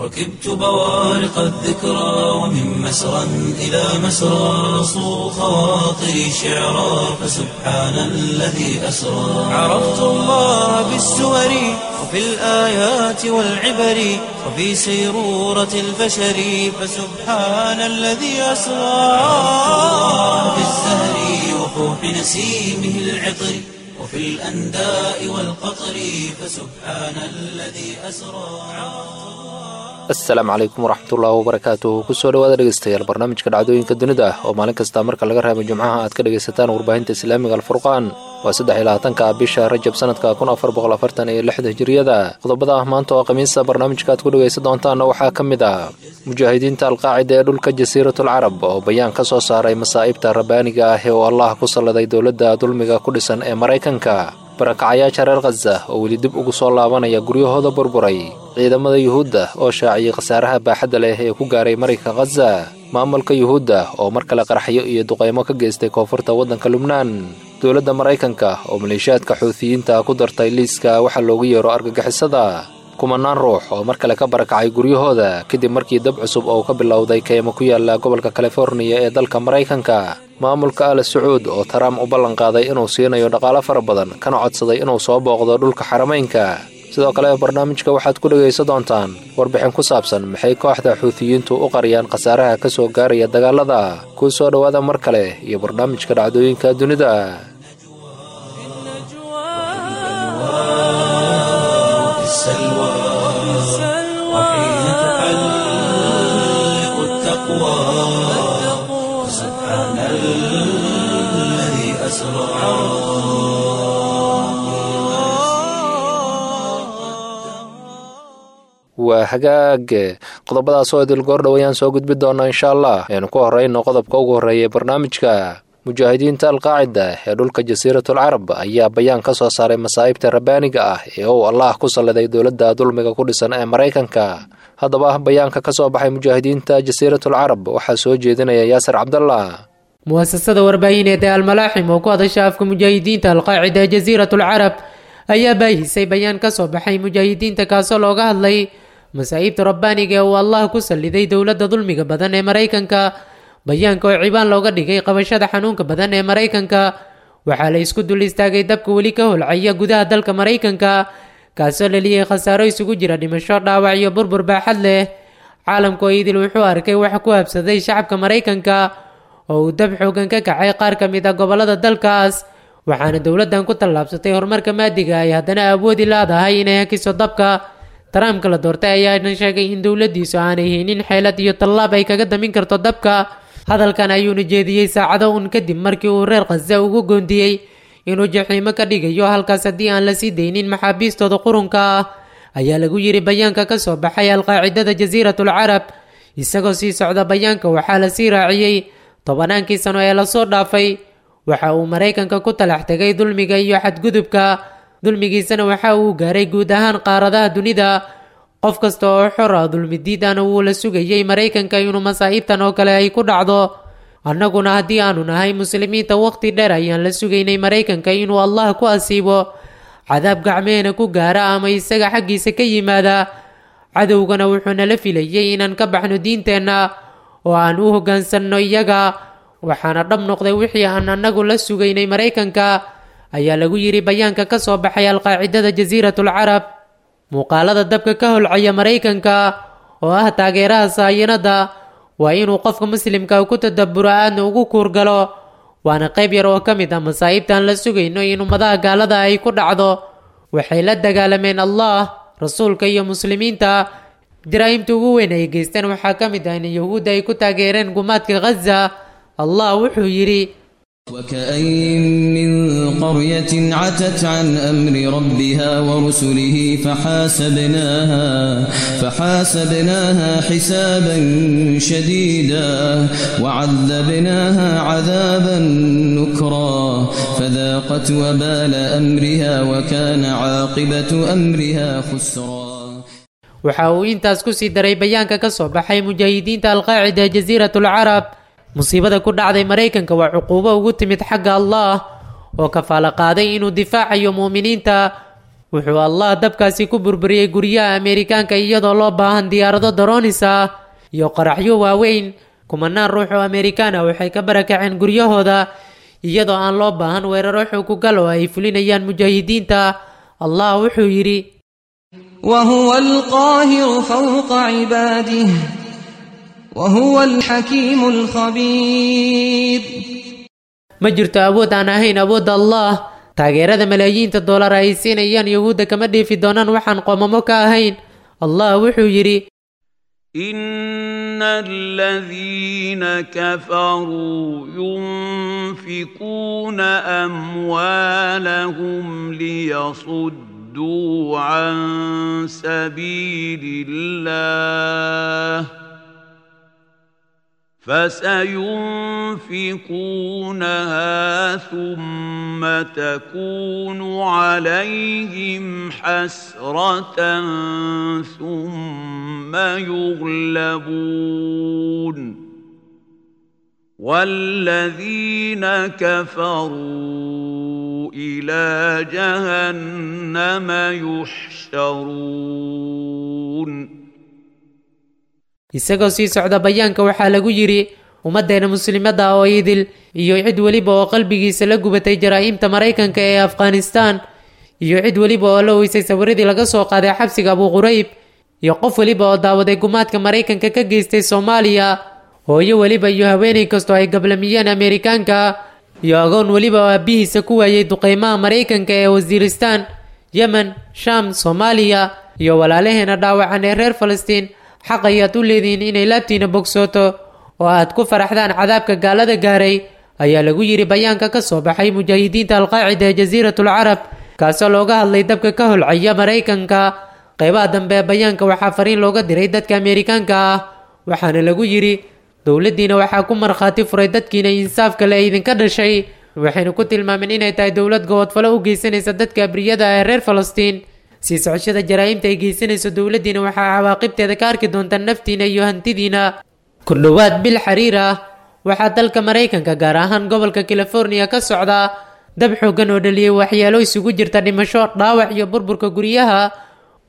ركبت بوارق الذكرى ومن مسرى إلى مسرى صو خواطري شعرا، فسبحان الذي أسرى. عرفت الله بالسور وفي الآيات والعبر وفي سيرورة البشر، فسبحان الذي أسرى. عرفت الله بالزهر وفوح نسيمه العطر وفي الأنداء والقطر، فسبحان الذي أسرى. Asalaamu calaykum waraxmatullaahi wabarakaatuh. Kusoo dhawaada dhegeystayaal barnaamijka dhacdooyinka dunida ah oo maalin kasta marka laga reebo Jimcaha aad ka dhegaysataan warbaahinta Islaamiga Alfurqaan. Waa 23-ka bisha Rajab sanadka 1446 Hijiriyada. Qodobada ah maanta oo Khamiisa barnaamijka aad ku dhegaysan doontaanna waxaa ka mid ah mujaahidiinta Alqaacida ee dhulka Jasiiratul Carab oo bayaan ka soo saaray masaa'ibta rabbaaniga ah ee uu Allah ku salladay dowladda dulmiga ku dhisan ee Maraykanka, barakacayaasha reer Khaza oo weli dib ugu soo laabanaya guryahooda burburay, ciidamada Yuhuudda oo shaaciyey khasaaraha baaxadda leh ee ku gaaray marinka Khaza, maamulka Yuhuudda oo mar kale qaraxyo iyo duqaymo ka geystay koonfurta waddanka Lubnaan, dowladda Maraykanka oo maleeshiyaadka Xuutiyiinta ku dartay liiska waxaa loogu yeero argagixisada, kumanaan ruux oo mar kale ka barakacay guryahooda kadib markii dab cusub oo ka bilowday keymo ku yaala gobolka Californiya ee dalka Maraykanka, maamulka Al Sacuud oo Trump u ballanqaaday inuu siinayo dhaqaalo fara badan kana codsaday inuu soo booqdo dhulka Xarameynka. Sidoo kale barnaamijka waxaad ku dhegaysan doontaan warbixin ku saabsan maxay kooxda Xuutiyiintu u qariyaan khasaaraha ka soo gaaraya dagaalada. Kuu soo dhowaada mar kale iyo barnaamijka dhacdooyinka dunida. في السلوى وحين تحلق التقوى، سبحان الذي أسرى. Waa hagaag, qodobadaas oo idil goor dhowayaan soo gudbi doonaa insha Allah. Aynu ku horeyno qodobka ugu horreeya ee barnaamijka. Mujaahidiinta Alqaacida ee dhulka Jasiiratul Carab ayaa bayaan ka soo saaray masaa'ibta rabbaaniga ah ee uu Allah ku salladay dowladda dulmiga ku dhisan ee Maraykanka. Haddaba bayaanka ka soo baxay mujaahidiinta Jasiiratul Carab waxaa soo jeedinaya Yaasir Cabdallah. Muasasada warbaahineed ee Almalaaxim oo ku hadasha afka mujaahidiinta Alqaacida ee Jasiiratul Carab ayaa baahisay bayaan ka soo baxay mujaahidiinta, kaasoo looga hadlay masaa'ibta rabbaaniga ee uu Allah ku salliday dowladda dulmiga badan ee Maraykanka. Bayaanka oo cibaan looga dhigay qabashada xanuunka badan ee Maraykanka, waxaa la isku dul istaagay dabka weli ka holcaya gudaha dalka Maraykanka, kaasoo dhaliyay khasaaro isugu jira dhimasho, dhaawac iyo burbur baaxad leh. Caalamku oo idil wuxuu arkay waxa ku habsaday shacabka Maraykanka oo uu dab xoogan ka kacay qaar ka mid ah gobollada dalkaas, waxaana dowladdan ku tallaabsatay horumarka maadiga ay haddana awoodi leedahay inay hakiso dabka. Trumpka la doortay ayaana sheegay in dowladdiisu aanay haynin xeelad iyo tallaab ay kaga damin karto dabka. Hadalkan ayuuna jeediyey saacado un kadib markii uu reer Khaza ugu goondiyey inuu jaxiimo ka dhigayo halkaas haddii aan la sii daynin maxaabiistooda qurunka ah, ayaa lagu yiri bayaanka ka soo baxay Alqaacidada Jasiiratul Carab. Isagoo sii socda bayaanka waxaa la sii raaciyey: tobannaankii sano ee lasoo dhaafay waxa uu Maraykanka ku talax tegay dulmiga iyo xadgudubka, dulmigiisana waxa uu gaaray guud ahaan qaaradaha dunida. Qof kasta oo xor ah dulmi diidana wuu la sugayay Maraykanka inuu masaa'ibtan oo kale ay ku dhacdo. Annaguna haddii aanu nahay muslimiinta, waqti dheer ayaan la sugaynay Maraykanka inuu Allah ku asiibo cadaab gacmeena ku gaara ama isaga xaggiisa ka yimaada. Cadowgana wuxuu nala filayay inaan ka baxno diinteenna oo aan u hoggaansanno iyaga, waxaana dhab noqday wixii aan annagu la sugaynay Maraykanka, ayaa lagu yiri bayaanka ka soo baxay Alqaacidada Jasiiratul Carab. Muuqaalada dabka ka holcaya Maraykanka oo ah taageeraha saayanada waa inuu qofka muslimka ku tadabburo, aadna ugu kuurgalo, waana qayb yar oo ka mid ah masaa'ibtaan la sugayno in ummadaha gaalada ay ku dhacdo. Waxay la dagaalameen Allah, rasuulka iyo muslimiinta. Jaraa'imta ugu weyn ay geysteen waxaa ka mid ah in Yahuudda ay ku taageereen gumaadka Khaza. Allah wuxuu yidhi: وكأين من قرية عتت عن أمر ربها ورسله فحاسبناها حسابا شديدا وعذبناها عذابا نكرا فذاقت وبال أمرها وكان عاقبة أمرها خسرا. Waxa uu intaas ku sii daray bayaanka ka soo baxay mujaahidiinta Alqaacida Jasiiratul Carab: musiibada ku dhacday Maraykanka waa cuquubo ugu timid xagga Allah oo kafaalo qaaday inuu difaacayo mu'miniinta. Wuxuu Allah dabkaasi ku burburiyey guryaha Ameerikaanka iyadoo loo baahan diyaarado daroonis ah iyo qaraxyo waaweyn. Kumanaan ruux oo Ameerikaan ah waxay ka barakaceen guryahooda iyadoo aan loo baahan weeraro xoogugal oo ay fulinayaan mujaahidiinta. Allah wuxuu yidhi: وهو القاهر فوق عباده وهو الحكيم الخبير. Ma jirto awood aan ahayn awoodda Allah. Taageerada malaayiinta doolar ay siinayaan Yuhuudda kama dheefi doonaan waxaan qoomamo ka ahayn. Allah wuxuu yidhi: إن الذين كفروا ينفقون أموالهم ليصدوا عن سبيل الله فسينفقونها ثم تكون عليهم حسرة ثم يغلبون والذين كفروا إلى جهنم يحشرون. Isagoo sii socda bayaanka waxaa lagu yidhi: Ummaddeena muslimadda oo idil iyo cid weliba oo qalbigiisa la gubatay jaraa'imta Maraykanka ee Afghanistan, iyo cid weliba oo la weysay sawiradii laga soo qaaday xabsiga Abu Qurayb, iyo qof weliba oo daawaday gumaadka Maraykanka ka geystay Soomaaliya, hooyo weliba iyo haweeney kastoo ay gablamiyeen Ameerikaanka, iyo agoon weliba oo aabihiisa ku waayey duqeymaha Maraykanka ee Wasiiristaan, Yemen, Shaam, Soomaaliya, iyo walaalaheena dhaawacan ee reer Falastiin, xaq ayaad u leedihiin inay laabtiina bogsooto oo aad ku faraxdaan cadaabka gaalada gaaray, ayaa lagu yidhi bayaanka ka soo baxay mujaahidiinta Alqaacida ee Jasiiratul Carab, kaasoo looga hadlay dabka ka holcaya Maraykanka. Qeybaha dambe ee bayaanka waxaa fariin looga diray dadka Ameerikaanka ah, waxaana lagu yidhi: Dowladdiina waxaa ku markhaati furay dadkiina insaafka le idinka dhashay, waxayna ku tilmaameen inay tahay dowlad gobodfalo u geysanaysa dadka abriyada ah ee reer Falastiin. Sii socoshada jaraa'imta ay geysanayso dowladdiina waxaa cawaaqibteeda ka arki doontaa naftiina iyo hantidiina. Ku dhowaad bil xiriir ah waxaa dalka Maraykanka, gaar ahaan gobolka California, ka socda dab xooggan oo dhaliyey waxyeelo isugu jirta dhimasho, dhaawac iyo burburka guryaha,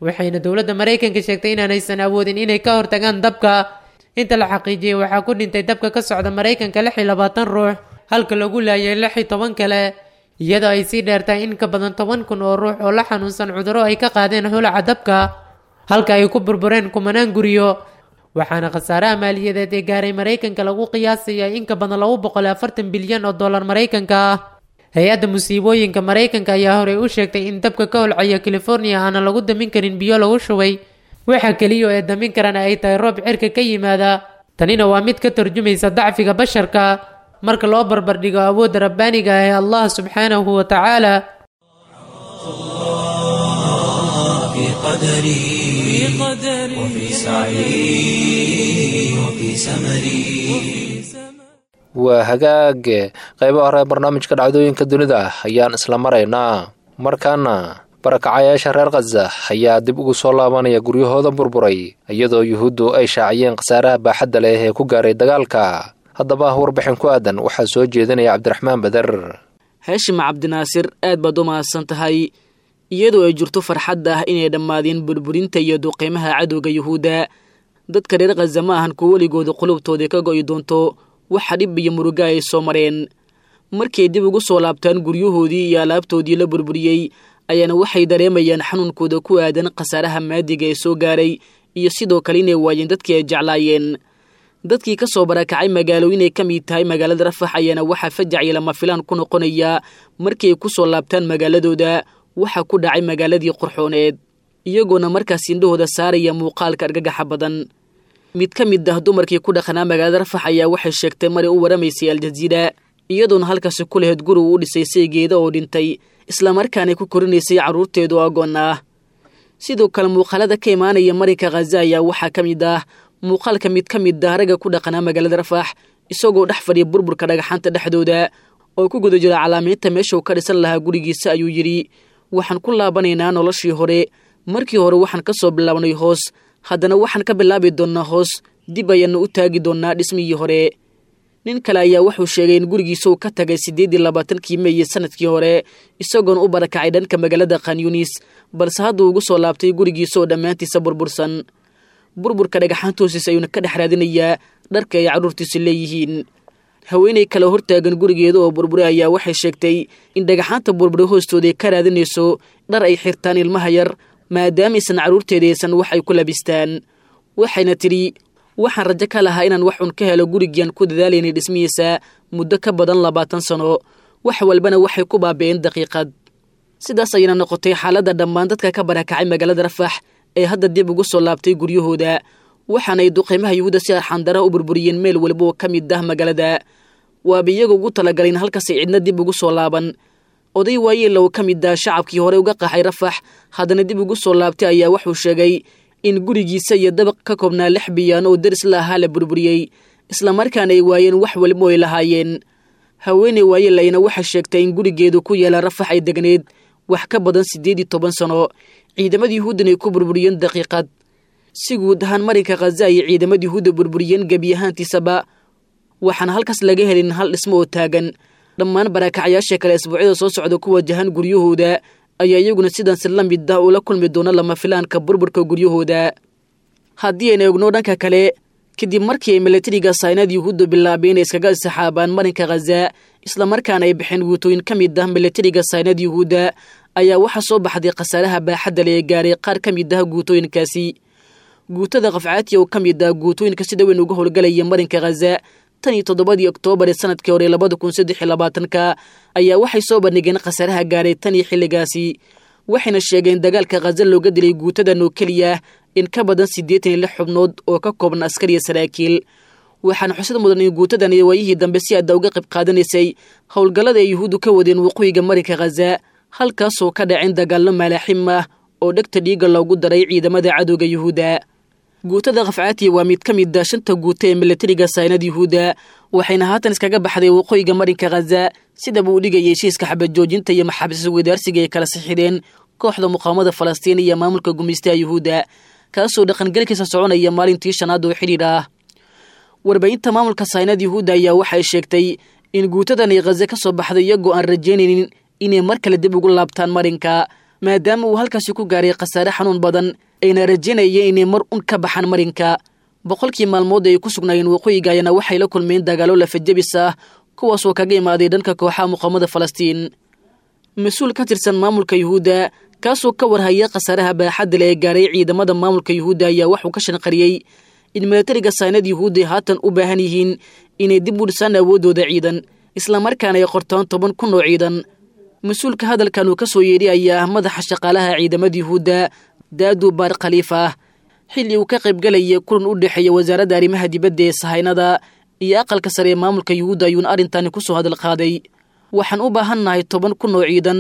waxayna dowladda Maraykanka sheegtay inaanaysan awoodin inay ka hortagaan dabka. Inta la xaqiijiyey waxaa ku dhintay dabka ka socda Maraykanka 26 ruux, halka lagu laayay 16 kale, iyadoo ay sii dheertahay in ka badan 10,000 oo ruux oo la xanuunsan cudurro ay ka qaadeen holaca dabka, halka ay ku burbureen kumanaan guryo. Waxaana khasaaraha maaliyadeed ee gaaray Maraykanka lagu qiyaasaya in ka badan 240 bilyan oo dollar Maraykanka ah. Hay-adda musiibooyinka Maraykanka ayaa horey u sheegtay in dabka ka holcaya California aanan lagu damin karin biyo lagu shubay, waxa keliya ee damin karana ay tahay roob cirka ka yimaada. Tanina waa mid ka tarjumaysa dacfiga basharka marka loo barbardhigo awoodda rabbaaniga ah ee Allah subxaanahu wa tacaala. في قدري وفي سعي وفي سمري. Waa hagaage, qaybaha hore ee barnaamijka dhacdooyinka dunida ayaan isla maraynaa. Markaana barakacayaasha reer Khaza ayaa dib ugu soo laabanaya guryahooda burburay, iyadoo Yuhuuddu ay shaaciyeen khasaaraha baaxadda leh ee ku gaaray dagaalka. Haddaba warbixin ku aadan waxaa soo jeedinaya Cabdiraxmaan Bader. Haashim Cabdinaasir, aad baad u mahadsan tahay. Iyadoo ay jirto farxadda ah inay dhammaadeen burburinta iyo duqeymaha cadowga Yuhuudda, dadka reer Khaza ma ahan kuwo weligooda qulubtooda ka go'i doonto waxa dhib iyo muruga ay soo mareen. Markay dib ugu soo laabtaan guryahoodii iyo alaabtoodii la burburiyey, ayaana waxay dareemayaan xanuunkooda ku aadan khasaaraha maadiga ee soo gaaray, iyo sidoo kale inay waayeen dadkii ay jeclaayeen. Dadkii ka soo barakacay magaalooyin ay ka mid tahay magaalada Rafax ayaana waxaa fajac iyo lama filaan ku noqonaya markii ay ku soo laabtaan magaaladooda waxa ku dhacay magaaladii qurxooneed, iyagoona markaas indhahooda saaraya muuqaalka argagaxa badan. Mid ka mid ah dumarkii ku dhaqanaa magaalada Rafax ayaa waxay sheegtay maray u waramaysay Aljaziira, iyadoona halkaasi ku lahayd guri uu u dhisay saygeeda oo dhintay, islamarkaanay ku korinaysay carruurteedu agoon ah. Sidoo kale muuqaalada ka imaanaya marinka Khaza ayaa waxaa ka mid ah muuqaalka mid ka mid ah ragga ku dhaqanaa magaalada Rafax isagoo dhex fadhiya burburka dhagaxaanta dhexdooda oo ku guda jira calaamaynta meesha uu ka dhisan lahaa gurigiisa. Ayuu yidhi: Waxaan ku laabanaynaa noloshii hore. Markii hore waxaan ka soo bilaabnay hoos, haddana waxaan ka bilaabi doonnaa hoos, dib ayaannu u taagi doonnaa dhismihii hore. Nin kale ayaa wuxuu sheegay in gurigiisa uu ka tagay 28-kii Meey sanadkii hore, isagoona u barakacay dhanka magaalada Khanyunis, balse hadda ugu soo laabtay gurigiisa oo dhammaantiisa burbursan. Burburka dhagaxaanta hoostiisa ayuuna ka dhex raadinayaa dharka ay carruurtiisu leeyihiin. Haweeney kale hortaagan gurigeeda oo burburay ayaa waxay sheegtay in dhagaxaanta burburay hoostooda ay ka raadinayso dhar ay xirtaan ilmaha yar, maadaama aysan carruurteeda aysan wax ay ku labistaan. Waxayna tidhi, waxaan rajo ka lahaa inaan wax un ka helo gurigiiaan ku dadaalaynay dhismihiisa muddo ka badan 20 sano, wax walbana waxay ku baabi'een daqiiqad. Sidaas ayayna noqotay xaaladda dhammaan dadka ka barakacay magaalada Rafax ee hadda dib ugu soo laabtay guryahooda, waxaanay duqeymaha Yuhuudda si arxandaraha u burburiyeen meel walba oo ka mid ah magaalada. Waaba iyaga ugu talagalayn halkaasay cidna dib ugu soo laaban. Oday waayeel oo ka mid ah shacabkii hore uga qaxay Rafax haddana dib ugu soo laabtay ayaa wuxuu sheegay in gurigiisa iyo dabaq ka koobnaa 6 biyaano oo deris la ahaa la burburiyey, islamarkaana ay waayeen wax walba oo ay lahaayeen. Haweeney waayeel ayna waxay sheegtay in gurigeedu ku yaala Rafax ay degneed wax ka badan 18 sano, ciidamada Yuhuuddan ay ku burburiyeen daqiiqad. Si guud ahaan marinka Khaza ayay ciidamada Yuhuudda burburiyeen gebi ahaantiisaba, waxaana halkaas laga helin hal dhismo oo taagan. Dhammaan barakacyaasha kale isbuucyada soo socda ku wajahan guryahooda ayaa iyaguna sidansi la mid ah ula kulmi doona lama filaanka burburka guryahooda. Haddii ayna egno dhanka kale, kadib markii ay milatariga saynad Yuhuudda bilaabeen inay iskaga saxaabaan marinka Khaza, islamarkaana ay bixeen guutooyin ka mid ah milatariga saynad Yuhuudda, ayaa waxaa soo baxday khasaaraha baaxadda leh ee gaaray qaar ka mid ah guutooyinkaasi. Guutada Qafcaatiya oo ka mid ah guutooyinka sida weyn uga howlgalaya marinka Khaza tan iyo 7dii Oktoobar ee sanadkii hore 2023 ayaa waxay soo bandhigeen khasaaraha gaaray tan iyo xilligaasi, waxayna sheegeen dagaalka Khaza looga dilay guutadan oo keliya in ka badan 86 xubnood oo ka kooban askar iyo saraakiil. Waxaana xusid mudan in guutadan iyo waayihii dambe si aada uga qayb qaadanaysay howlgallada ay Yuhuuddu ka wadeen waqooyiga marinka Khaza, halkaasoo ka dhaceen dagaallo maalaaxim ah oo dhegta dhiigga loogu daray ciidamada cadowga Yuhuudda. Guutada Qafcaatiya waa mid ka mid ah 5 guuto ee milatariga saynad Yuhuudda, waxayna haatan iskaga baxday waqooyiga marinka Khaza, sidaba uu dhigayay heshiiska xabad joojinta iyo maxaabiis wadaarsiga ay kala sixideen kooxda muqaawamada Falastiin iyo maamulka gumaystaha Yuhuudda, kaasoo dhaqangelkiisa soconaya maalintii 5aad oo xidhiidh ah. Warbaahinta maamulka saynad Yuhuudda ayaa waxay sheegtay in guutadan ay Khaza ka soo baxday iyagoo aan rajaynaynin inay mar kale dib ugu laabtaan marinka, maadaama uu halkaasi ku gaaray khasaare xanuun badan, ayna rajaynayeen inay mar un ka baxaan marinka. 100kii maalmood ay ku sugnaayeen waqooyiga ayana waxay la kulmeen dagaallo lafajabis ah, kuwaasoo kaga imaaday dhanka kooxaha muqaawamada Falastiin. Mas-uul ka tirsan maamulka Yuhuudda kaasoo ka warhaya khasaaraha baaxadda leh ee gaaray ciidamada maamulka Yuhuudda ayaa waxuu ka shanqariyey in milatariga saynad Yuhuudda ay haatan u baahan yihiin inay dib u dhisaan awooddooda ciidan, islamarkaana ay qortaan 10,000 oo ciidan. Mas-uulka hadalkan uu ka soo yeedhi ayaa ah madaxa shaqaalaha ciidamada Yuhuudda Daadu Baar Khaliif ah, xilli uu ka qaybgalayay kulan u dhexeeya wasaaradda arrimaha dibadda ee sahaynada iyo aqalka sare ee maamulka Yuhuudda ayuuna arrintani ku soo hadal qaaday. Waxaan u baahannahay 10,000 oo ciidan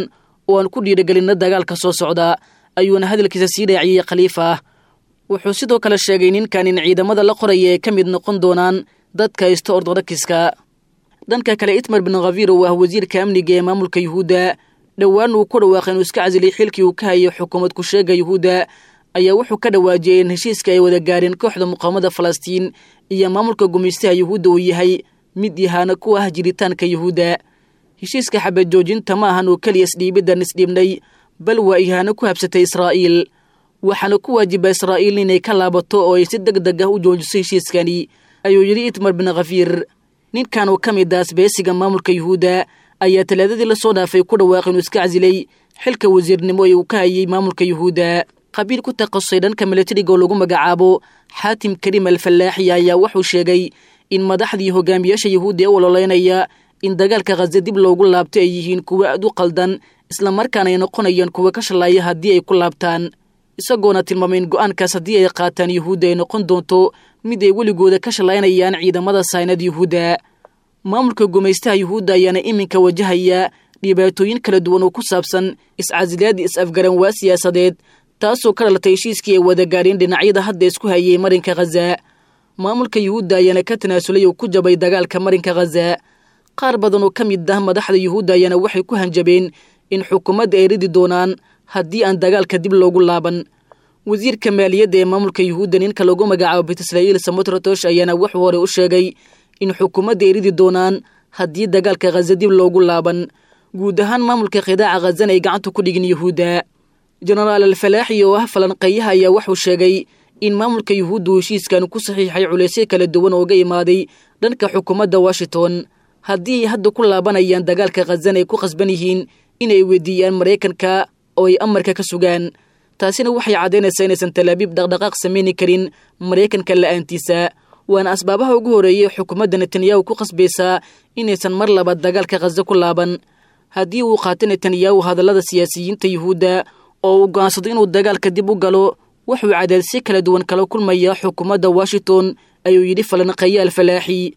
oo aan ku dhiirigelinna dagaalka soo socda, ayuuna hadalkiisa sii raaciyey Khaliif ah. Wuxuu sidoo kale sheegay ninkan in ciidamada la qoraya ay ka mid noqon doonaan dadka haysta ordodokiska. Dhanka kale, Itmar bin Khafiir oo ah wasiirka amniga ee maamulka Yuhuudda, dhowaan uu ku dhawaaqay inuu iska casilay xilkii uu ka hayay xukuumad ku-sheega Yuhuudda, ayaa wuxuu ka dhawaajiyey in heshiiska ay wada gaareen kooxda muqaawamada Falastiin iyo maamulka gumaystaha Yuhuudda uu yahay mid ihaano ku ah jiritaanka Yuhuudda. Heshiiska xabad joojinta ma ahan oo keliya isdhiibiddan isdhiibnay, bal waa ihaano ku habsatay Israa'iil, waxaana ku waajiba Israa'iil inay ka laabato oo ay si deg deg ah u joojiso heshiiskani, ayuu yidhi Itmar bin Khafiir. Ninkan oo ka mid ah asbeesiga maamulka Yuhuudda ayaa talaadadii la soo dhaafay ku dhawaaqay inuu iska casilay xilka wasiirnimo ee uu ka hayay maamulka Yuhuudda. Qabiil ku takhasusay dhanka milatariga oo lagu magacaabo Xaatim Kariim Alfallaaxi ayaa wuxuu sheegay in madaxdii hogaamiyaasha Yuhuudda ee u ololeynaya in dagaalka Khaza dib loogu laabto ay yihiin kuwo aad u qaldan, islamarkaana ay noqonayaan kuwo ka shalaaya haddii ay ku laabtaan, isagoona tilmaamay in go'aankaas haddii ay qaataan Yuhuudda ay noqon doonto mid ay weligooda ka shalaynayaan ciidamada saynad Yuhuudda. Maamulka gumaystaha Yuhuudda ayaana iminka wajahaya dhibaatooyin kala duwan oo ku saabsan iscasilaad is-afgaran waa siyaasadeed, taasoo ka dhalatay heshiiskii ay wada gaareen dhinacyada hadda isku hayay marinka Khaza. Maamulka Yuhuudda ayaana ka tanaasulay oo ku jabay dagaalka marinka Khaza. Qaar badan oo ka mid ah madaxda Yuhuudda ayaana waxay ku hanjabeen in xukuumadda ay ridi doonaan haddii aan dagaalka dib loogu laaban. Wasiirka maaliyadda ee maamulka Yuhuudda ninka lagu magacaabo Betisra'iil Samotrotosh ayaana wuxuu hore u sheegay In xukuumadda ay ridi doonaan haddii dagaalka Khaza dib loogu laaban, guud ahaan maamulka qidaaca Khazana ay gacanta ku dhigin Yuhuudda. Jenaraal Alfalaaxi oo ah falanqeeyaha ayaa wuxuu sheegay in maamulka Yuhuuddu heshiiskan ku saxiixay culaysyo kala duwan ooga imaaday dhanka xukuumadda Washington. Haddii ay hadda ku laabanayaan dagaalka Khazana ay ku khasban yihiin inay weydiiyaan Maraykanka oo ay amarka ka sugaan, taasina waxay caddaynaysaa inaysan Talaabiib dhaqdhaqaaq samayni karin Maraykanka la'aantiisa. Waana asbaabaha ugu horreeyay xukuumadda Netanyahu ku khasbaysaa inaysan mar labaad dagaalka Khaza ku laaban. Haddii uu qaato Netanyahu hadallada siyaasiyiinta Yuhuudda oo uu go'aansado inuu dagaalka dib u galo, wuxuu cadaadisyo kala duwan kala kulmaya xukuumadda Washington, ayuu yidhi falanqeeye Alfalaaxi.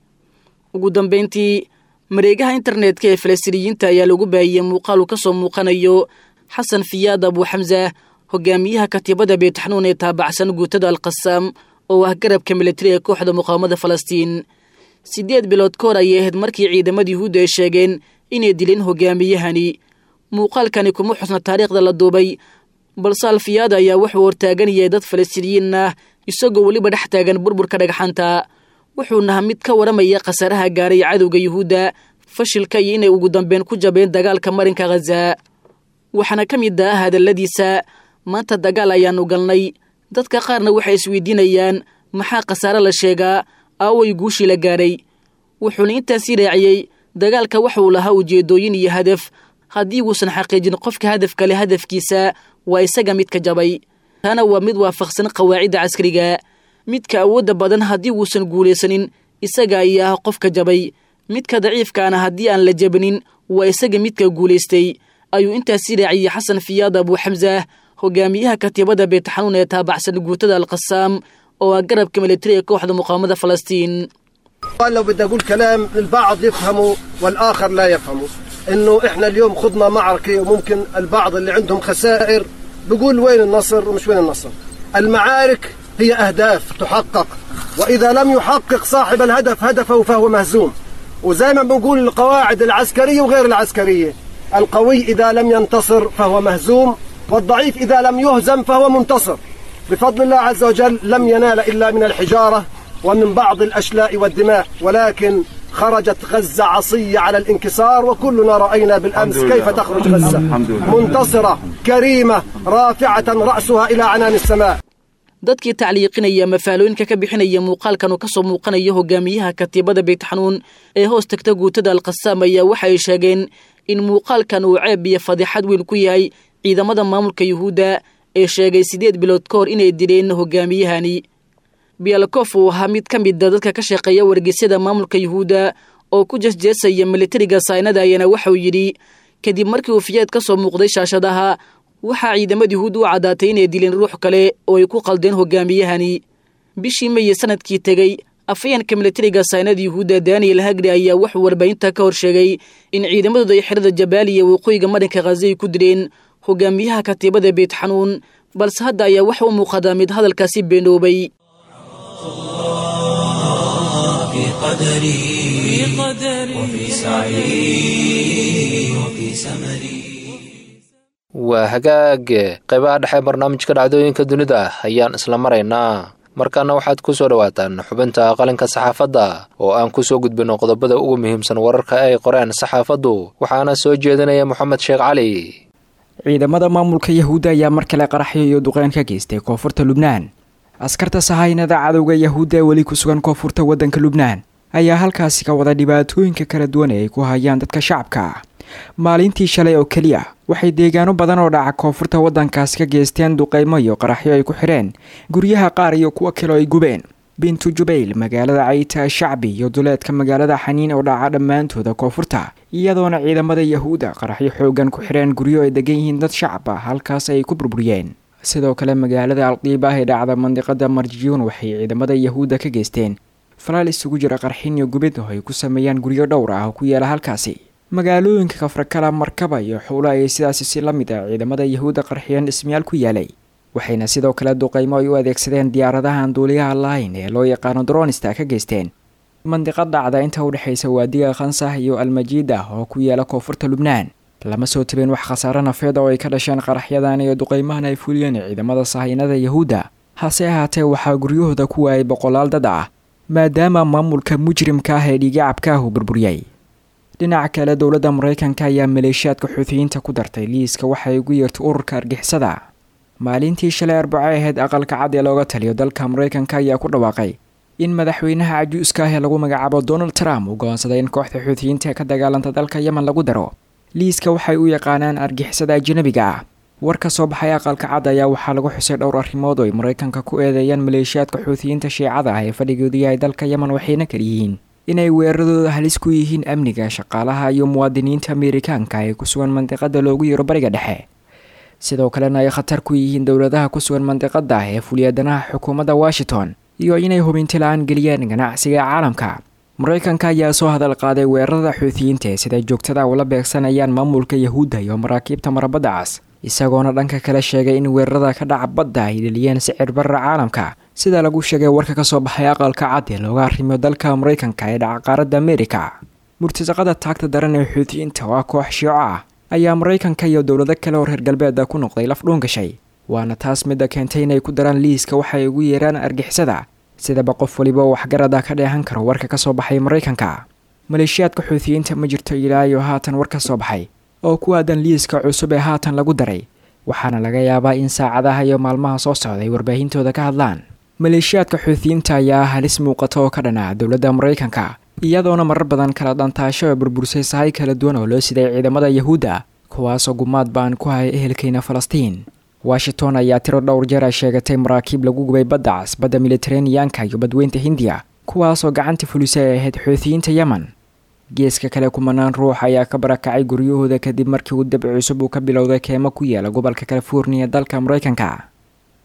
Ugu dambayntii, mareegaha internetka ee Falastiiniyiinta ayaa lagu baahiyey muuqaal uu ka soo muuqanayo Xasan Fiyaad Abuuxamsa, hogaamiyaha katiibada Beytxanuun ee taabacsan guutada Alqasaam oo ah garabka militari ee kooxda muqaawamada Falastiin. 8 bilood ka hor ayay ahayd markii ciidamada Yuhuudda ay sheegeen inay dileen hogaamiyahani. Muuqaalkani kuma xusna taariikhda la duubay, balse Alfiyaad ayaa wuxuu hortaaganayay dad Falastiiniyiin ah isagoo weliba dhex taagan burburka dhagxanta. Wuxuuna mid ka waramaya khasaaraha gaaray cadowga Yuhuudda, fashilka iyo inay ugu dambeyn ku jabeen dagaalka marinka Khaza. Waxaana ka mid ah hadalladiisa: "Maanta dagaal ayaanu galnay, dadka qaarna waxay isweydiinayaan maxaa khasaare la sheegaa, aaway guushii la gaaray?" Wuxuuna intaasii raaciyey: "Dagaalka waxauu lahaa ujeeddooyin iyo hadaf, haddii uusan xaqiijin qofka hadafka leh hadafkiisa waa isaga midka jabay. Taana waa mid waafaqsan qawaacidda caskariga. Midka awoodda badan haddii uusan guulaysanin isaga ayaa ah qofka jabay, midka daciifkaana haddii aan la jabinin waa isaga midka guulaystay," ayuu intaasii raaciyey Xasan Fiyaad Abuuxamsa, hogaamiyaha katiibada Beytxanuun ee taabacsan guutada Alqasaam oo ah garabka militari ee kooxda muqaawamada Falastiin. لو بدي أقول كلام البعض يفهمه والآخر لا يفهمه، إنه إحنا اليوم خضنا معركة، وممكن البعض اللي عندهم خسائر بيقول وين النصر ومش وين النصر. المعارك هي أهداف تحقق، وإذا لم يحقق صاحب الهدف هدفه فهو مهزوم. وزي ما بنقول القواعد العسكرية وغير العسكرية، القوي إذا لم ينتصر فهو مهزوم، والضعيف إذا لم يهزم فهو منتصر. بفضل الله عز وجل لم ينال إلا من الحجارة ومن بعض الأشلاء والدماء، ولكن خرجت غزة عصية على الانكسار، وكلنا رأينا بالأمس كيف تخرج غزة منتصرة كريمة رافعة رأسها إلى عنان السماء. Dadkii tacliiqinaya mafaalooyinka ka bixinaya muuqaalkan uu ka soo muuqanayo hogaamiyaha katiibada Beytxanuun ee hoos tagta guutada Alqasaam ayaa waxay sheegeen in muuqaalkan uu ceeb iyo fadeexad weyn ku yahay ciidamada maamulka Yuhuudda ee sheegay 8 bilood ka hor inay dileen hogaamiyahani. Bialkof uu ahaa mid ka mid a dadka ka shaqeeya wargeysyada maamulka Yuhuudda oo ku jeesjeesaya militariga saynada ayaana waxauu yidhi kadib markii uu Fiyaad ka soo muuqday shaashadaha, waxaa ciidamada Yuhuud u caddaatay inay dileen ruux kale oo ay ku qaldeen hogaamiyahani. Bishii Meye sanadkii tegey, afayeenka militariga saynada Yuhuudda Daniel Hagri ayaa wuxuu warbaahinta ka hor sheegay in ciidamadooda ay xerada Jabaaliya waqooyiga marinka Khaza ay ku dileen hogaamiyaha katiibada Beytxanuun, balse hadda ayaa waxa u muuqadaa mid hadalkaasi beenoobay. في قدري وفي سعي وفي سمري. Waa hagaag, qaybaha dhexe barnaamijka dhacdooyinka dunida ayaan isla maraynaa. Markaana waxaad ku soo dhowaataan xubinta qalinka saxaafadda oo aan ku soo gudbinno qodobada ugu muhiimsan wararka ay qoreen saxaafaddu, waxaana soo jeedinaya Moxamed Sheekh Cali. Ciidamada maamulka Yahuudda ayaa mar kale qaraxyo iyo duqeyn ka geystay koonfurta Lubnaan. Askarta sahaynada cadowga Yahuudda ee weli ku sugan koonfurta waddanka Lubnaan ayaa halkaasi ka wada dhibaatooyinka kala duwan ee ay ku hayaan dadka shacabka ah. Maalintii shalay oo keliya waxay deegaano badan oo dhaca koonfurta waddankaasi ka geysteen duqeymo iyo qaraxyo ay ku xidheen guryaha qaar iyo kuwa kaleo ay gubeen. Bintu Jubayl, magaalada Cayta Shacbi iyo duleedka magaalada Xaniin oo dhaca dhammaantooda koonfurta, iyadoona ciidamada Yahuudda qaraxyo xoogan ku xidheen guryo ay degan yihiin dad shacab ah, halkaas ay ku burburiyeen. Sidoo kale magaalada Alqiiba ee dhacda mandiqada Marjiyuun waxay ciidamada Yahuudda ka geysteen falaal isugu jira qarxin iyo gubid oo ay ku sameeyaan guryo dhowr ah oo ku yaala halkaasi. Magaalooyinka Kafrakala, Markaba iyo Xuula ayay sidaasi si la mid ah ciidamada Yahuudda qarxiyeen dhismayaal ku yaalay, waxayna sidoo kale duqeymo ay u adeegsadeen diyaaradahan duuliyaha lahayn ee loo yaqaano dronista ka geysteen mandiqad dhacda inta u dhexaysa waadiga Khansah iyo Almajiida oo ku yaala koonfurta Lubnaan. Lama soo tabeen wax khasaare nafeed oo ay ka dhasheen qaraxyadan iyo duqeymahan ay fuliyeen ciidamada sahaynada Yahuudda, hase ahaatee waxaa guryahooda ku waayay boqolaal dad ah. Maadaama maamulka mujrimka ah ee dhiigacabka ah uu burburiyey. Dhinaca kale, dowladda Maraykanka ayaa maleeshiyaadka Xuutiyiinta ku dartay liiska waxay ugu yeertay ururka argixisada. Maalintii shalay Arbaco ahayd, Aqalka Cad ee looga taliyo dalka Maraykanka ayaa ku dhawaaqay in madaxweynaha cajuuska ah ee lagu magacaabo Donald Trump uu go'oonsaday in kooxda Xuutiyiinta ee ka dagaalanta dalka Yemen lagu daro liiska waxay u yaqaanaan argixisada ajanabiga ah. War ka soo baxay Aqalka Cad ayaa waxaa lagu xusay dhowr arrimood oo ay Maraykanka ku eedeeyaan maleeshiyaadka Xuutiyiinta Shiicada ah ee fadhigoodu yahay dalka Yemen, waxayna kaliyihiin inay weeraradooda halis ku yihiin amniga shaqaalaha iyo muwaadiniinta Ameerikaanka ee ku sugan mandiqada loogu yeero Bariga Dhexe, sidoo kalena ay khatar ku yihiin dowladaha ku sugan mandiqada ee fuliyadanaha xukuumadda Washington, iyo inay hubinti la-aan geliyeen ganacsiga caalamka. Maraykanka ayaa soo hadal qaaday weerarada Xuutiyiinta ee sida joogtada ula beegsanayaan maamulka Yahuudda iyo maraakiibta marabadda cas, isagoona dhanka kale sheegay in weerarada ka dhaca badda ay dheliyeen sicir barra caalamka, sida lagu sheegay warka kasoo baxay Aqalka Cad ee looga arrimiyo dalka Maraykanka ee dhaca qaaradda Amerika. Murtasaqada taagta daran ee Xuutiyiinta oo ah koox shiico ah ayaa Maraykanka iyo dowlado kale oo reer galbeeda ku noqday laf dhuun gashay, waana taas midda keentay inay ku daraan liiska waxay ugu yeeraan argixisada, sidaba qof waliba waxgarada ka dheehan karo warka kasoo baxay Maraykanka. Maleeshiyaadka Xuutiyiinta ma jirto ilaa iyo haatan war ka soo baxay oo ku aadan liiska cusub ee haatan lagu daray, waxaana laga yaabaa in saacadaha iyo maalmaha soo socday warbaahintooda ka hadlaan. Maleeshiyaadka Xuutiyiinta ayaa halis muuqata oo ka dhan ah dowladda Maraykanka, iyadoona marar badan kala dhantaasho ee burbursay sahay kala duwan oo loo siday ciidamada Yahuudda, kuwaasoo gumaad baan ku haya ehelkeyna Falastiin. Washington ayaa tiro dhowr jeer ay sheegatay maraakiib lagu gubay badda cas, badda Mediteraneanka iyo badweynta Hindiya, kuwaasoo gacanta fulisay ay ahayd Xuutiyiinta Yemen. Geeska kale, kumanaan ruux ayaa ka barakacay guryahooda kadib markii uu dab cusub uu ka bilowday keemo ku yaala gobolka California dalka Maraykanka.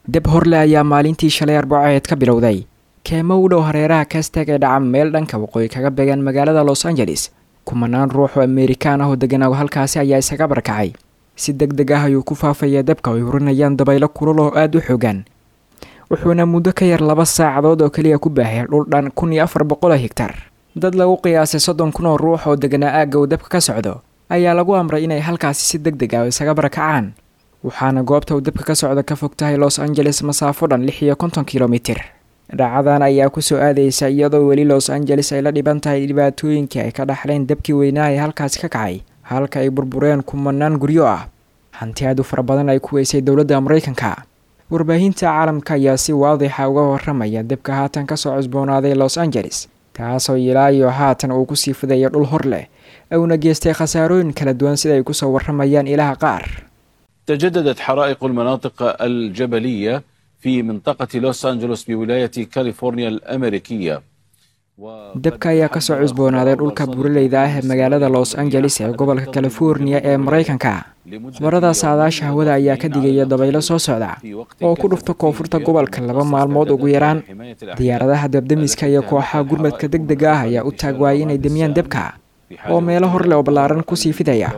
Dab horle ayaa maalintii shalay Arbaceed ka bilowday keemo u dhow hareeraha Kastag ee dhaca meel dhanka waqooyi kaga beegan magaalada Los Angeles. Kumanaan ruux oo Amerikaan ah oo deganaa halkaasi ayaa isaga barakacay. Si deg deg ah ayuu ku faafaya dabka ay hurinayaan dabaylo kulul oo aada u xoogan, wuxuuna muddo ka yar 2 saacadood oo keliya ku baahaya dhul dhan 1400 higtar. Dad lagu qiyaasay 30,000 oo ruux oo deganaa aagga uu dabka ka socdo ayaa lagu amray inay halkaasi si deg deg ah isaga barakacaan, waxaana goobta uu dabka ka socdo ka fog tahay Los Angeles masaafo dhan 56 kilomitir. Dhacadan ayaa kusoo aadaysa iyadoo weli Los Angeles ay la dhiban tahay dhibaatooyinkii ay ka dhaxleen dabkii weynaa ee halkaasi ka kacay, halka ay burbureen kumanaan guryo ah, hanti aad u fara badan ay ku weysay dowladda Maraykanka. Warbaahinta caalamka ayaa si waadixa uga waramaya dabka haatan kasoo cusboonaaday Los Angeles, taasoo ilaa iyo haatan uu kusii fidaya dhul hor leh uuna geystay khasaarooyin kala duwan, sida ay kusoo waramayaan ilaha qaar. تجددت حرائق المناطق الجبلية في منطقة لوس أنجلوس بولاية كاليفورنيا الأمريكية. Dabka ayaa kasoo cusboonaaday dhulka buuraleyda ah ee magaalada Los Angeles ee gobolka California ee Maraykanka. Khubarada saadaasha hawada ayaa ka digaya dabaylo soo socda oo ku dhufta koonfurta gobolka 2 maalmood ugu yaraan. Diyaaradaha dabdemiska iyo kooxaha gurmadka deg dega ah ayaa u taag waayay inay demiyaan dabka oo meelo horleh oo ballaaran kusii fidaya.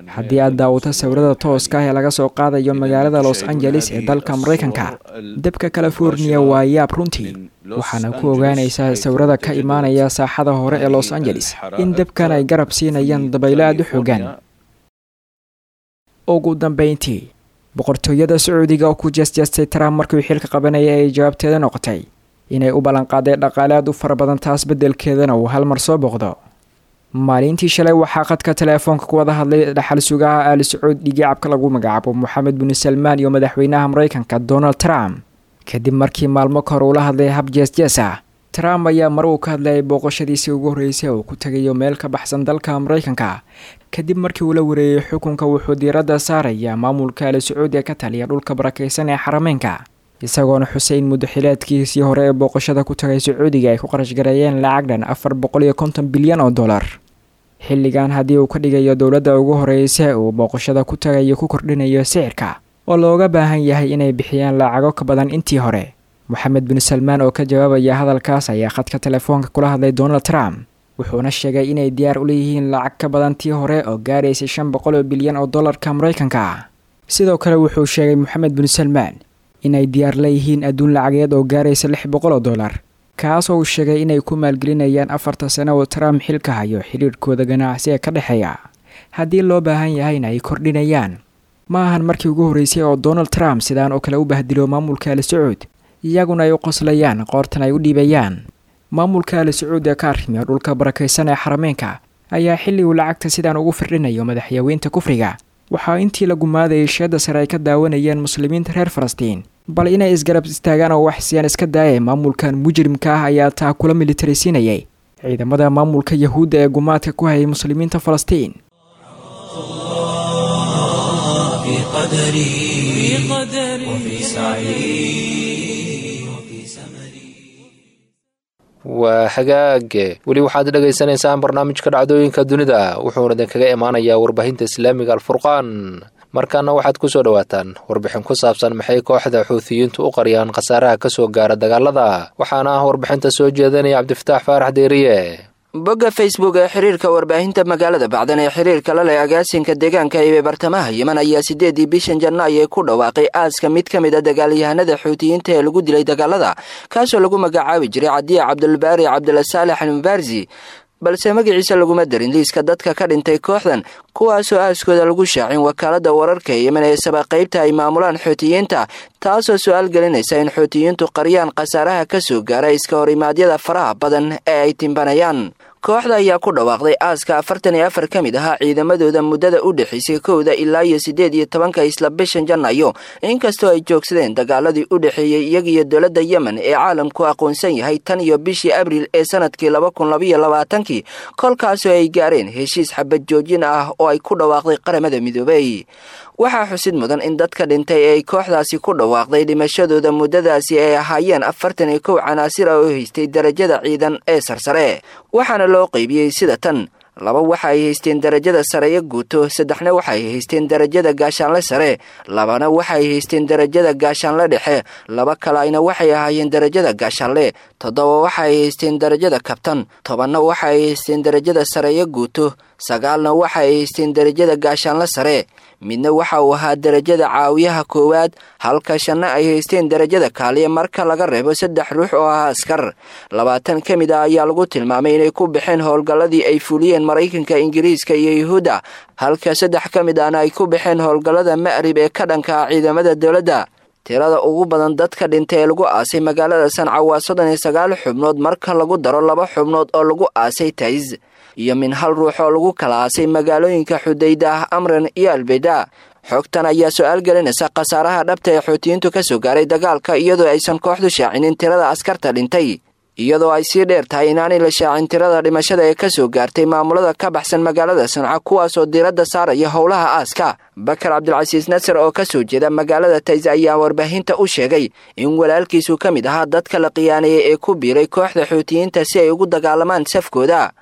Haddii aad daawato sawirada tooska ah ee laga soo qaadayo magaalada Los Angeles ee dalka Maraykanka, dabka California waa yaab runtii, waxaana ku ogaanaysaa sawirada ka imaanaya saaxada hore ee Los Angeles in dabkan ay garab siinayaan dabaylo aada u xoogan. Ugu dambeyntii, boqortooyada Sacuudiga oo ku jeesjeestay Trump markii xilka qabanaya ay jawaabteeda noqotay inay u ballanqaaday dhaqaale aad u fara badan, taas beddelkeedana uu hal mar soo booqdo. Maalintii shalay waxaa khadka teleefoonka ku wada hadlay dhaxal sugaha Aali Sacuud dhigicabka lagu magacaabo Moxamed bin Salmaan iyo madaxweynaha Maraykanka Donald Trump, kadib markii maalmo kahor uula hadlay hab jees-jees ah. Trump ayaa mar uu ka hadlayay booqashadiisii ugu horreysay uu ku tagayo meel ka baxsan dalka Maraykanka kadib markii uu la wareeyay xukunka, wuxuu diiradda saarayaa maamulka Aali Sacuud ee ka taliya dhulka barakeysan ee Xarameynka, isagoona xuseyn muddo xileedkiisii hore ee booqashada ku tagay Sacuudiga ay ku qarash gareeyeen lacag dhan 450 bilyan oo dollar. Xilligan haddii uu ka dhigayo dowladda ugu horreysa uu booqashada ku tagayo ku kordhinayo sicirka oo looga baahan yahay inay bixiyaan lacago ka badan intii hore. Moxamed bin Salmaan oo ka jawaabaya hadalkaas ayaa khadka telefoonka kula hadlay Donald Trump, wuxuuna sheegay inay diyaar u leeyihiin lacag ka badan tii hore oo gaaraysay 500 bilyan oo dollarka Maraykanka ah. Sidoo kale wuxuu sheegay Moxamed bin Salmaan inay diyaar leeyihiin adduun lacageed oo gaaraysa 600 oo dollar, kaas oo uu sheegay inay ku maalgelinayaan 4ta sano oo Trump xilka hayo xiriirkooda ganacsi ee ka dhexeeya, haddii loo baahan yahayna ay kordhinayaan. Ma ahan markii ugu horreysay oo Donald Trump sidaan oo kale u bahdilo maamulka Al Sacuud, iyaguna ay u qoslayaan qoortan ay u dhiibayaan. Maamulka Ali Sacuud ee ka arrimiya dhulka barakaysan ee xarameenka ayaa xilli uu lacagta sidaan ugu firdhinayo madaxyaweynta kufriga, waxaa intii la gumaadayay sheedda sare ay ka daawanayeen muslimiinta reer Falastiin bal inay isgarab istaagaan oo wax siyaan iska daaya. Maamulkan mujrimka ah ayaa taa kula militaraysiinayay ciidamada maamulka Yahuudda ee gumaadka ku hayay muslimiinta Falastiin. في قدري وفي سعي وفي سمري. Waa hagaage, weli waxaad dhegaysanaysaan barnaamijka dhacdooyinka dunida, wuxuuna idinkaga imaanayaa warbaahinta Islaamiga Alfurqaan. Markaana waxaad ku soo dhowaataan warbixin ku saabsan maxay kooxda Xuutiyiintu u qariyaan khasaaraha ka soo gaara dagaalada, waxaana ah warbixinta soo jeedanaya Cabdifataax Faarax Deeriye. Bogga Facebook ee xiriirka warbaahinta magaalada Bacdan ee xiriirka la leh agaasinka deegaanka ee bartamaha Yemen ayaa 8-dii bishan Janaayo ku dhawaaqay aaska mid ka mid a dagaalyahanada Xuutiyiinta ee lagu dilay dagaalada, kaasoo lagu magacaabi jiray Cadiya Cabdulbaari Cabdulasaalex Almubaarsi, balse magaciisa laguma darin liiska dadka ka dhintay kooxdan, kuwaasoo aaskooda lagu shaacin wakaalada wararka ee Yemen ee saba qaybta ay maamulaan Xuutiyiinta, taasoo su-aal gelinaysa in Xuutiyiintu qariyaan khasaaraha ka soo gaara iska horimaadyada faraha badan ee ay timbanayaan. Kooxda ayaa ku dhawaaqday aaska 44 ka mid ahaa ciidamadooda muddada u dhexaysay 1-da ilaa iyo 18-ka isla bishan Janaayo, inkastoo ay joogsadeen dagaaladii u dhexeeyey iyaga iyo dowladda Yemen ee caalamku aqoonsan yahay tan iyo bishii Abriil ee sanadkii 2022-kii, kolkaasoo ay gaareen heshiis xabad joojin ah oo ay ku dhawaaqday Qaramada Midoobay. Waxaa xusid mudan in dadka dhintay ee ay kooxdaasi ku dhawaaqday dhimashadooda muddadaasi ay ahaayeen 41 canaasir ah oo haystay darajada ciidan ee sarsare, waxaana loo qaybiyey sida tan: 2 waxa ay haysteen darajada sareeyo guuto, 3-na waxa ay haysteen darajada gaashaanle sare, 2-na waxa ay haysteen darajada gaashaanle dhexe, 2 kaleayna waxay ahaayeen darajada gaashaanle, 7 waxa ay haysteen darajada kabtan, 10-na waxa ay haysteen darajada sareeyo guuto, 9-na waxa ay haysteen darajada gaashaanle sare, midna waxa uu ahaa darajada caawiyaha koowaad, halka 5-na ay haysteen darajada kaaliya marka laga reebo 3 ruux oo ahaa askar. 20 ka mid ah ayaa lagu tilmaamay inay ku baxeen howlgalladii ay fuliyeen Maraykanka, Ingiriiska iyo Yuhuudda, halka 3 ka mid ahna ay ku baxeen howlgallada Ma'rib ee ka dhanka ah ciidamada dowladda. Tirada ugu badan dadka dhintay ee lagu aasay magaalada Sanca waa 39 xubnood marka lagu daro 2 xubnood oo lagu aasay Taiz iyo min hal ruux oo lagu kala aasay magaalooyinka Xudayda, Amran iyo Albeyda. Xogtan ayaa su-aal gelinaysa khasaaraha dhabta ee Xuutiyiintu ka soo gaaray dagaalka, iyadoo aysan kooxdu shaacinin tirada askarta dhintay, iyadoo ay sii dheer tahay inaanay la shaacin tirada dhimashada ee ka soo gaartay maamulada ka baxsan magaalada Sanca, kuwaasoo diiradda saaraya howlaha aaska. Bakar Cabdilcasiis Nasar oo ka soo jeeda magaalada Taiz ayaa warbaahinta u sheegay in walaalkiisu ka mid ahaa dadka la qiyaaneeyay ee ku biiray kooxda Xuutiyiinta si ay ugu dagaalamaan safkooda,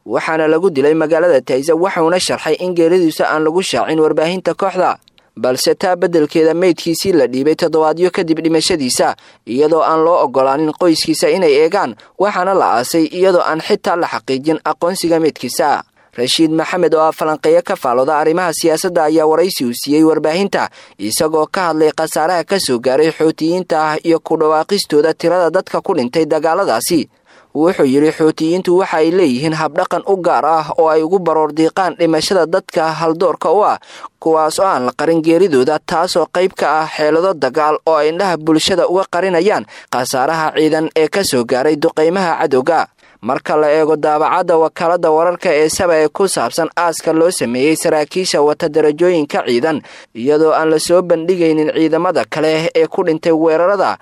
waxaana lagu dilay magaalada Taiza. Waxauna sharxay in geeridiisa aan lagu shaacin warbaahinta kooxda, balse taa beddelkeeda meydkiisii la dhiibay toddobaadyo kadib dhimashadiisa, iyadoo aan loo ogolaanin qoyskiisa inay eegaan, waxaana la aasay iyadoo aan xitaa la xaqiijin aqoonsiga meydkiisa. Rashiid Maxamed oo ah falanqeeyo ka faalooda arrimaha siyaasadda ayaa waraysi uu siiyey warbaahinta isagoo ka hadlay khasaaraha ka soo gaaray Xuutiyiinta ah iyo ku dhawaaqistooda tirada dadka ku dhintay dagaaladaasi. Wuxuu yidhi, Xuutiyiintu waxa ay leeyihiin habdhaqan u gaar ah oo ay ugu baroor diiqaan dhimashada dadka haldoorka u ah, kuwaas oo aan la qarin geeridooda, taasoo qayb ka ah xeelado dagaal oo ay indhaha bulshada uga qarinayaan khasaaraha ciidan ee ka soo gaaray duqaymaha cadowga. Marka la eego daabacadda wakaaladda wararka ee Saba ee ku saabsan aaska loo sameeyey saraakiisha wata darajooyinka ciidan, iyadoo aan la soo bandhigaynin ciidamada kale ee ku dhintay weerarada,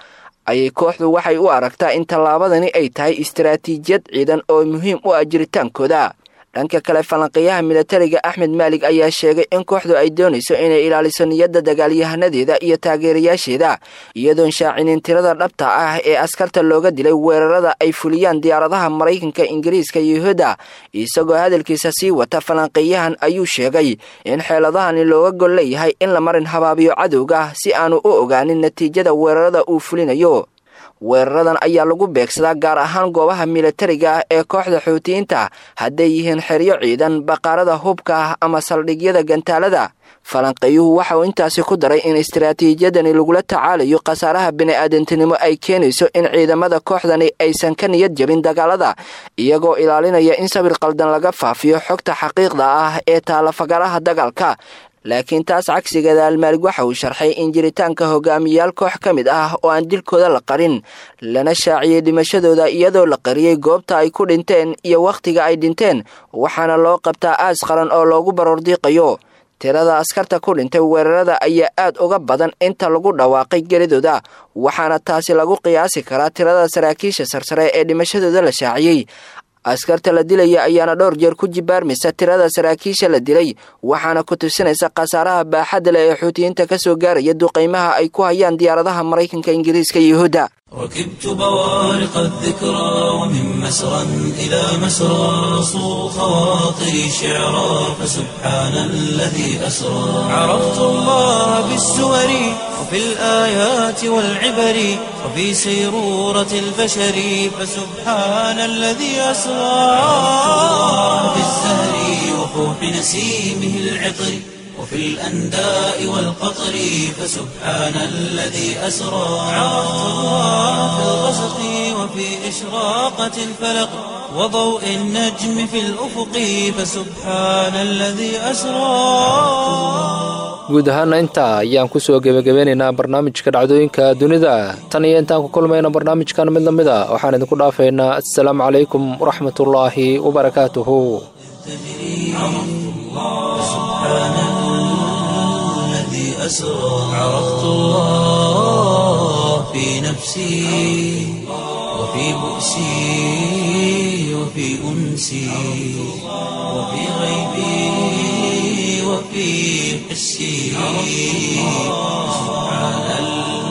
ayay kooxdu waxay u aragtaa in tallaabadani ay tahay istaraatiijiyad ciidan oo muhiim u ah jiritaankooda. Dhanka kale, falanqeeyaha milatariga Axmed Maalig ayaa sheegay in kooxdu ay doonayso inay ilaaliso niyadda dagaalyahanadeeda iyo taageerayaasheeda, iyadoon shaacinin tirada dhabta ah ee askarta looga dilay weerarada ay fuliyaan diyaaradaha Maraykanka, Ingiriiska iyo Yuhuudda. Isagoo hadalkiisa sii wata falanqeeyahan ayuu sheegay in xeeladahani looga gol leeyahay in la marin habaabiyo cadowga si aanu u ogaanin natiijada weerarada uu fulinayo. Weeraradan ayaa lagu beegsadaa gaar ahaan goobaha milatariga ah ee kooxda Xuutiyiinta, hadday yihiin xeryo ciidan, baqaarada hubka ah ama saldhigyada gantaalada. Falanqeeyuhu waxa uu intaasi ku daray in istaraatiijiyadani lagula tacaalayo khasaaraha bini'aadantinimo ay keenayso in ciidamada kooxdani aysan ka niyad jabin dagaalada, iyagoo ilaalinaya in sawir qaldan laga faafiyo xogta xaqiiqda ah ee taalafagaraha dagaalka. Laakiin taas cagsigeeda, Almaalig waxa uu sharxay in jiritaanka hogaamiyayaal koox ka mid ah oo aan dilkooda la qarin, lana shaaciyey dhimashadooda iyadoo la qariyey goobta ay ku dhinteen iyo wakhtiga ay dhinteen, waxaana loo qabtaa aas qaran oo loogu baroordiiqayo. Tirada askarta ku dhintay weerarada ayaa aad uga badan inta lagu dhawaaqay geridooda, waxaana taasi lagu qiyaasi karaa tirada saraakiisha sarsare ee dhimashadooda la shaaciyey. Askarta la dilaya ayaana dhowr jeer ku jibaarmaysa tirada saraakiisha la dilay, waxaana ku tusinaysa khasaaraha baaxadda leh ee Xuutiyiinta ka soo gaaraya duqaymaha ay ku hayaan diyaaradaha Maraykanka, Ingiriiska iyo Yuhuudda. ركبت بوارق الذكرى ومن مسرى إلى مسرى صو خواطري شعرا، فسبحان الذي أسرى. عرفت الله بالسور وفي الآيات والعبر وفي سيرورة البشر، فسبحان الذي أسرى. عرفت الله بالزهر وفوح نسيمه العطر وفي الأنداء والقطر، فسبحان الذي أسرى. عرفت الله في الغسق وفي إشراقة الفلق وضوء النجم في الأفق، فسبحان الذي أسرى. Guud ahaana intaa ayaan kusoo gebagabeynaynaa barnaamijka dhacdooyinka dunida. Tan iyo intaan ku kulmayna barnaamijkan mid lamid a, waxaan idinku dhaafaynaa assalaamu calaykum waraxmatullaahi wabarakaatuhu. الذي أسرى. عرفت الله في نفسي وفي بؤسي وفي أنسي وفي غيبي وفي حسي. سبحان.